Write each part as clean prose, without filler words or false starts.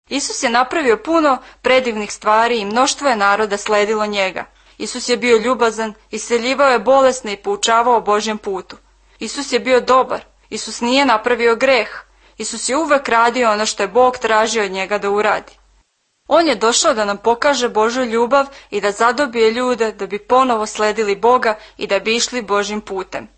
Isus je napravio puno predivnih stvari i mnoštvo je naroda sledilo njega. Isus je bio ljubazan, isceljivao je bolesne i poučavao o Božjem putu. Isus je bio dobar, Isus nije napravio greh, Isus je uvek radio ono što je Bog tražio od njega da uradi. On je došao da nam pokaže Božju ljubav i da zadobije ljude da bi ponovo sledili Boga i da bi išli Božjim putem.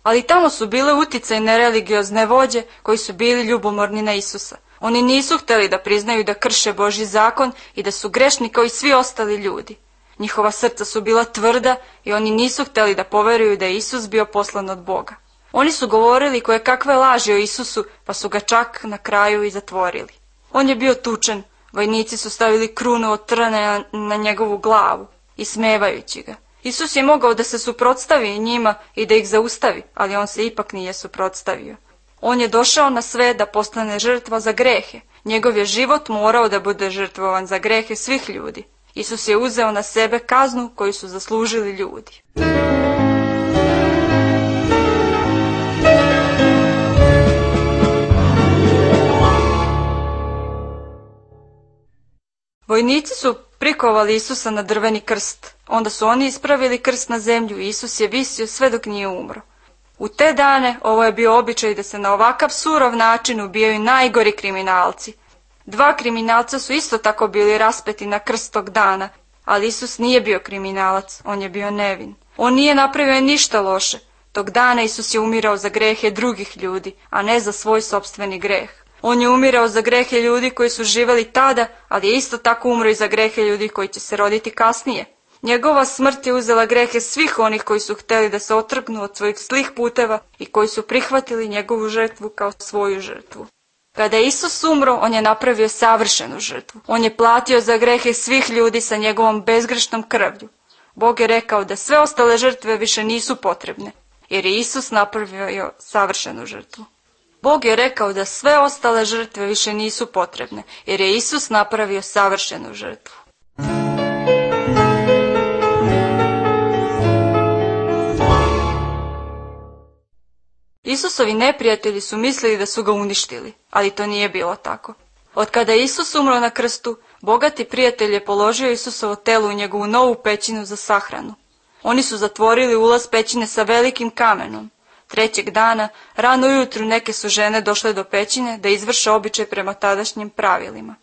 Ali tamo su bile uticajne religiozne vođe koji su bili ljubomorni na Isusa. Oni nisu hteli da priznaju da krše Božji zakon i da su grešni kao i svi ostali ljudi. Njihova srca su bila tvrda i oni nisu hteli da poveruju da je Isus bio poslan od Boga. Oni su govorili koje kakve laži o Isusu, pa su ga čak na kraju i zatvorili. On je bio tučen, vojnici su stavili krunu od trne na njegovu glavu, ismevajući ga. Isus je mogao da se suprotstavi njima i da ih zaustavi, ali on se ipak nije suprotstavio. On je došao na svet da postane žrtva za grehe. Njegov je život morao da bude žrtvovan za grehe svih ljudi. Isus je uzeo na sebe kaznu koju su zaslužili ljudi. Vojnici su prikovali Isusa na drveni krst. Onda su oni ispravili krst na zemlju i Isus je visio sve dok nije umro. U te dane ovo je bio običaj da se na ovakav surov način ubijaju najgori kriminalci. 2 kriminalca su isto tako bili raspeti na krst tog dana, ali Isus nije bio kriminalac, on je bio nevin. On nije napravio ništa loše. Tog dana Isus je umirao za grehe drugih ljudi, a ne za svoj sopstveni greh. On je umirao za grehe ljudi koji su živeli tada, ali je isto tako umro i za grehe ljudi koji će se roditi kasnije. Njegova smrt je uzela grehe svih onih koji su hteli da se otrgnu od svojih zlih puteva i koji su prihvatili njegovu žrtvu kao svoju žrtvu. Kada je Isus umro, on je napravio savršenu žrtvu. On je platio za grehe svih ljudi sa njegovom bezgrešnom krvlju. Bog je rekao da sve ostale žrtve više nisu potrebne, jer je Isus napravio savršenu žrtvu. Bog je rekao da sve ostale žrtve više nisu potrebne, jer je Isus napravio savršenu žrtvu. Isusovi neprijatelji su mislili da su ga uništili, ali to nije bilo tako. Od kada je Isus umro na krstu, bogati prijatelj je položio Isusovo telo u njegovu novu pećinu za sahranu. Oni su zatvorili ulaz pećine sa velikim kamenom. 3. dana, rano ujutru, neke su žene došle do pećine da izvrše običaj prema tadašnjim pravilima.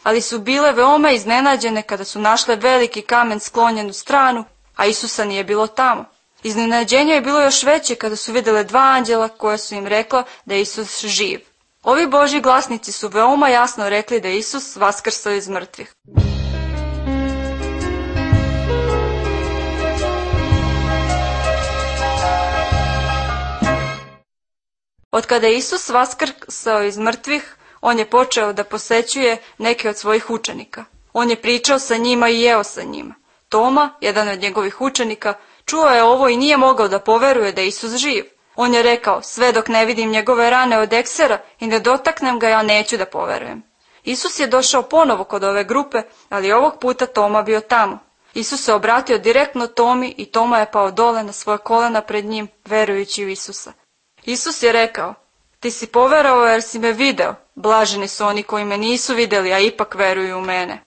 Ali su bile veoma iznenađene kada su našle veliki kamen sklonjen u stranu, a Isusa nije bilo tamo. Iznenađenje je bilo još veće kada su vidjele 2 anđela koja su im rekla da je Isus živ. Ovi Božji glasnici su veoma jasno rekli da je Isus vaskrsao iz mrtvih. Od kada je Isus vaskrsao iz mrtvih, on je počeo da posećuje neke od svojih učenika. On je pričao sa njima i jeo sa njima. Toma, jedan od njegovih učenika, čuo je ovo i nije mogao da poveruje da je Isus živ. On je rekao, sve dok ne vidim njegove rane od eksera i ne dotaknem ga, ja neću da poverujem. Isus je došao ponovo kod ove grupe, ali ovog puta Toma bio tamo. Isus se obratio direktno Tomi i Toma je pao dole na svoje kolena pred njim, verujući u Isusa. Isus je rekao, ti si poverovao jer si me video, blaženi su oni koji me nisu vidjeli, a ipak veruju u mene.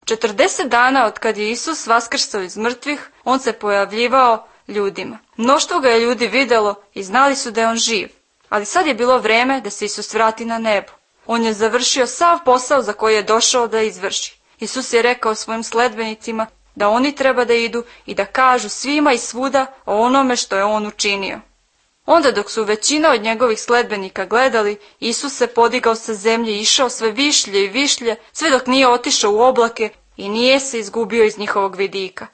Četrdeset dana od kad je Isus vaskrsao iz mrtvih, on se pojavljivao ljudima. Mnoštvo ga je ljudi vidjelo i znali su da je on živ. Ali sad je bilo vreme da se Isus vrati na nebo. On je završio sav posao za koji je došao da izvrši. Isus je rekao svojim sledbenicima da oni treba da idu i da kažu svima i svuda o onome što je on učinio. Onda dok su većina od njegovih sledbenika gledali, Isus se podigao sa zemlje i išao sve višlje i višlje, sve dok nije otišao u oblake i nije se izgubio iz njihovog vidika.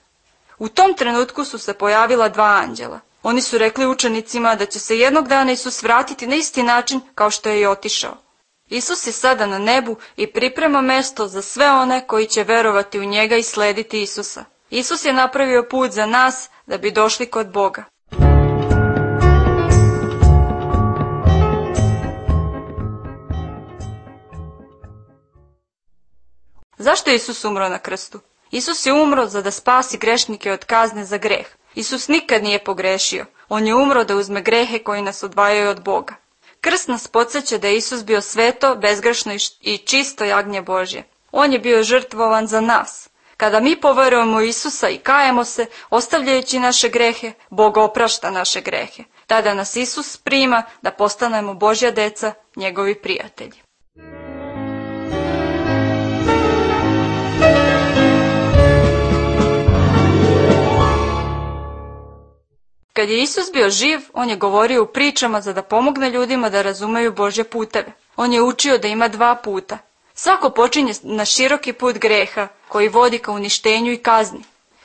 U tom trenutku su se pojavila 2 anđela. Oni su rekli učenicima da će se jednog dana Isus vratiti na isti način kao što je i otišao. Isus je sada na nebu i priprema mesto za sve one koji će verovati u njega i slediti Isusa. Isus je napravio put za nas da bi došli kod Boga. Zašto je Isus umro na krstu? Isus je umro za da spasi grešnike od kazne za greh. Isus nikad nije pogrešio. On je umro da uzme grehe koji nas odvajaju od Boga. Krst nas podsjeća da je Isus bio sveto, bezgrešno i čisto jagnje Božje. On je bio žrtvovan za nas. Kada mi poverujemo u Isusa i kajemo se, ostavljajući naše grehe, Bog oprašta naše grehe. Tada nas Isus prima da postanemo Božja deca, njegovi prijatelji. Kad je Isus bio živ, on je govorio u pričama za da pomogne ljudima da razumeju Božje puteve. On je učio da ima 2 puta. Svako počinje na široki put greha, koji vodi ka uništenju i kazni.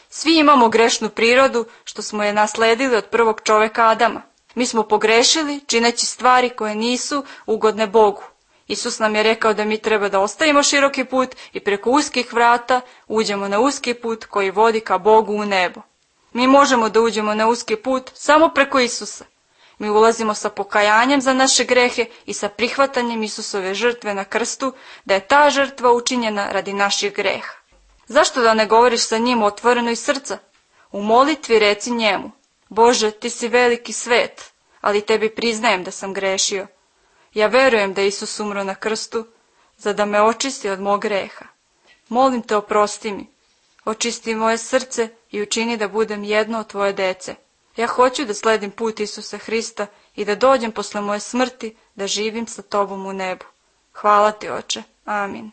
Svi imamo grešnu prirodu, što smo je nasledili od prvog čoveka Adama. Mi smo pogrešili, čineći stvari koje nisu ugodne Bogu. Isus nam je rekao da mi treba da ostavimo široki put i preko uskih vrata uđemo na uski put koji vodi ka Bogu u nebo. Mi možemo da uđemo na uski put samo preko Isusa. Mi ulazimo sa pokajanjem za naše grehe i sa prihvatanjem Isusove žrtve na krstu, da je ta žrtva učinjena radi naših greha. Zašto da ne govoriš sa njim otvoreno iz srca? U molitvi reci njemu: Bože, ti si veliki svet, ali tebi priznajem da sam grešio. Ja verujem da Isus umro na krstu, za da me očisti od mog greha. Molim te, oprosti mi. Očisti moje srce i učini da budem jedno od tvoje dece. Ja hoću da sledim put Isusa Hrista i da dođem posle moje smrti da živim sa tobom u nebu. Hvala ti, Oče. Amin.